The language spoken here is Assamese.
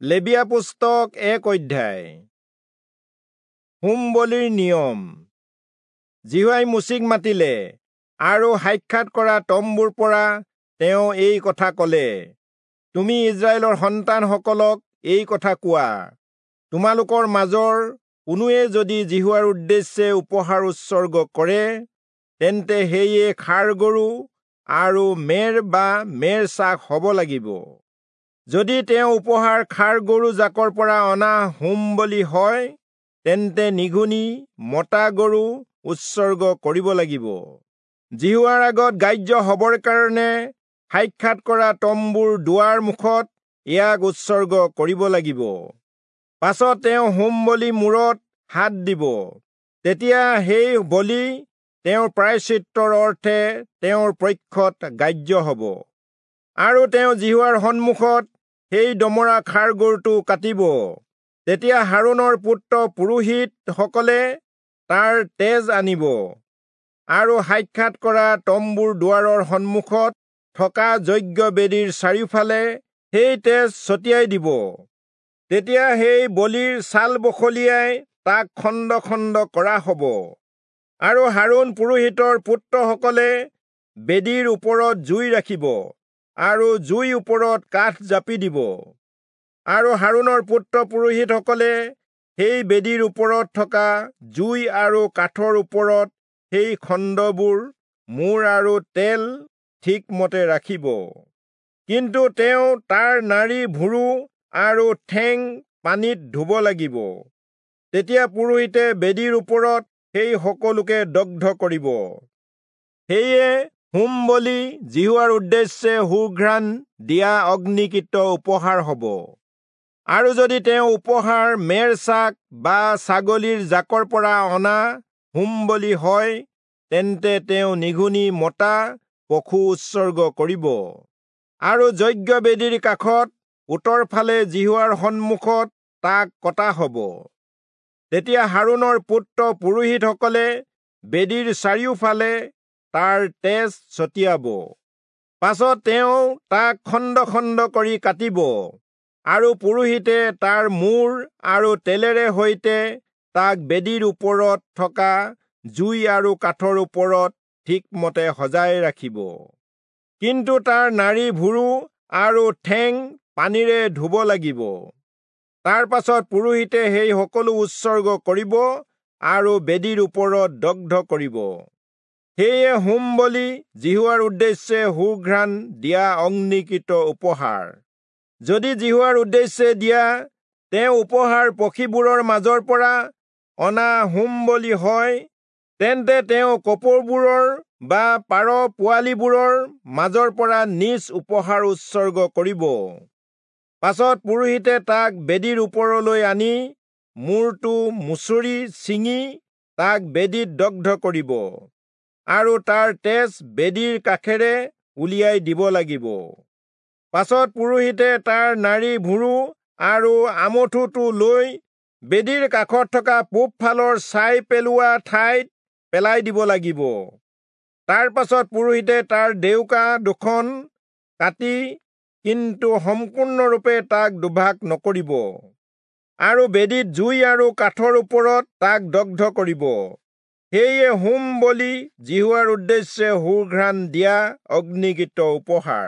লেবীয়া পুস্তক 1 অধ্যায়। হোম বলিৰ নিয়ম। যিহোৱাই মোচিক মাতিলে আৰু সাক্ষাৎ কৰা তম্বুৰ পৰা তেওঁ এই কথা কলে, তুমি ইস্ৰায়েলৰ সন্তানসকলক এই কথা কোৱা, তোমালোকৰ মাজৰ কোনোৱে যদি যিহোৱাৰ উদ্দেশ্যে উপহাৰ উৎসৰ্গ কৰে, তেন্তে সেয়ে ষাঁড় গৰু আৰু মেৰ বা মেৰ ছাগ হ'ব লাগিব। যদি তেওঁ উপহাৰ ষাঁড় গৰু জাকৰ পৰা অনা হোম বলি হয়, তেন্তে নিঘূণী মতা গৰু উৎসৰ্গ কৰিব লাগিব। যিহোৱাৰ আগত গ্ৰাহ্য হবৰ কাৰণে সাক্ষাৎ কৰা তম্বুৰ দুৱাৰ মুখত ইয়াক উৎসৰ্গ কৰিব লাগিব। পাছত তেওঁ হোম বলি মূৰত হাত দিব, তেতিয়া সেই বলি তেওঁৰ প্ৰায়শ্চিত্তৰ অৰ্থে তেওঁৰ পক্ষত গ্ৰাহ্য হ'ব। আৰু তেওঁ যিহোৱাৰ সন্মুখত সেই দমৰা ষাঁড় গৰুটো কাটিব। তেতিয়া হাৰোণৰ পুত্ৰ পুৰোহিতসকলে তাৰ তেজ আনিব আৰু সাক্ষাৎ কৰা তম্বুৰ দুৱাৰৰ সন্মুখত থকা যজ্ঞবেদীৰ চাৰিওফালে সেই তেজ ছটিয়াই দিব। তেতিয়া সেই বলিৰ ছাল বখলিয়াই তাক খণ্ড খণ্ড কৰা হ'ব। আৰু হাৰোণ পুৰোহিতৰ পুত্ৰসকলে বেদীৰ ওপৰত জুই ৰাখিব আৰু জুই ওপৰত কাঠ জাপি দিব। আৰু হাৰোণৰ পুত্ৰ পুৰোহিতসকলে সেই বেদীৰ ওপৰত থকা জুই আৰু কাঠৰ ওপৰত সেই খণ্ডবোৰ, মূৰ আৰু তেল ঠিকমতে ৰাখিব। কিন্তু তেওঁ তাৰ নাড়ী ভুৰু আৰু ঠেং পানীত ধুব লাগিব। তেতিয়া পুৰোহিতে বেদীৰ ওপৰত সেই সকলোকে দগ্ধ কৰিব। সেয়ে হোম বলি যিহোৱাৰ উদ্দেশ্যে সুঘ্ৰাণ দিয়া অগ্নিকৃত উপহাৰ হ'ব। আৰু যদি তেওঁ উপহাৰ মেৰ ছাগ বা ছাগলীৰ জাকৰ পৰা অনা হোম বলি হয়, তেন্তে তেওঁ নিঘূণী মতা পশু উৎসৰ্গ কৰিব। আৰু যজ্ঞবেদীৰ কাষত উত্তৰ ফালে যিহোৱাৰ সন্মুখত তাক কটা হ'ব। তেতিয়া হাৰোণৰ পুত্ৰ পুৰোহিতসকলে বেদীৰ চাৰিওফালে তাৰ তেজ ছটিয়াব। পাছত তেওঁ তাক খণ্ড খণ্ড কৰি কাটিব আৰু পুৰোহিতে তাৰ মূৰ আৰু তেলেৰে সৈতে তাক বেদীৰ ওপৰত থকা জুই আৰু কাঠৰ ওপৰত ঠিকমতে সজাই ৰাখিব। কিন্তু তাৰ নাড়ী ভুৰু আৰু ঠেং পানীৰে ধুব লাগিব। তাৰ পাছত পুৰোহিতে সেই সকলো উৎসৰ্গ কৰিব আৰু বেদীৰ ওপৰত দগ্ধ কৰিব। সেয়ে হোম বলি যিহোৱাৰ উদ্দেশ্যে সুঘ্ৰাণ দিয়া অগ্নিকৃত উপহাৰ। যদি যিহোৱাৰ উদ্দেশ্যে দিয়া তেওঁ উপহাৰ পক্ষীবোৰৰ মাজৰ পৰা অনা হোম বলি হয়, তেন্তে তেওঁ কপৌবোৰৰ বা পাৰ পোৱালিবোৰৰ মাজৰ পৰা নিজ উপহাৰ উৎসৰ্গ কৰিব। পাছত পুৰোহিতে তাক বেদীৰ ওপৰলৈ আনি মূৰটো মুচৰি ছিঙি তাক বেদীত দগ্ধ কৰিব আৰু তাৰ তেজ বেদীৰ কাষেৰে উলিয়াই দিব লাগিব। পাছত পুৰোহিতে তাৰ নাড়ী ভুৰু আৰু আমঠুটো লৈ বেদীৰ কাষত থকা পূব ফালৰ ছাই পেলোৱা ঠাইত পেলাই দিব লাগিব। তাৰ পাছত পুৰোহিতে তাৰ ডেউকা দুখন কাটি, কিন্তু সম্পূৰ্ণৰূপে তাক দুভাগ নকৰিব, আৰু বেদীত জুই আৰু কাঠৰ ওপৰত তাক দগ্ধ কৰিব। সেয়ে হোম বলি যিহোৱাৰ উদ্দেশ্যে সুঘ্ৰাণ দিয়া অগ্নিকৃত উপহাৰ।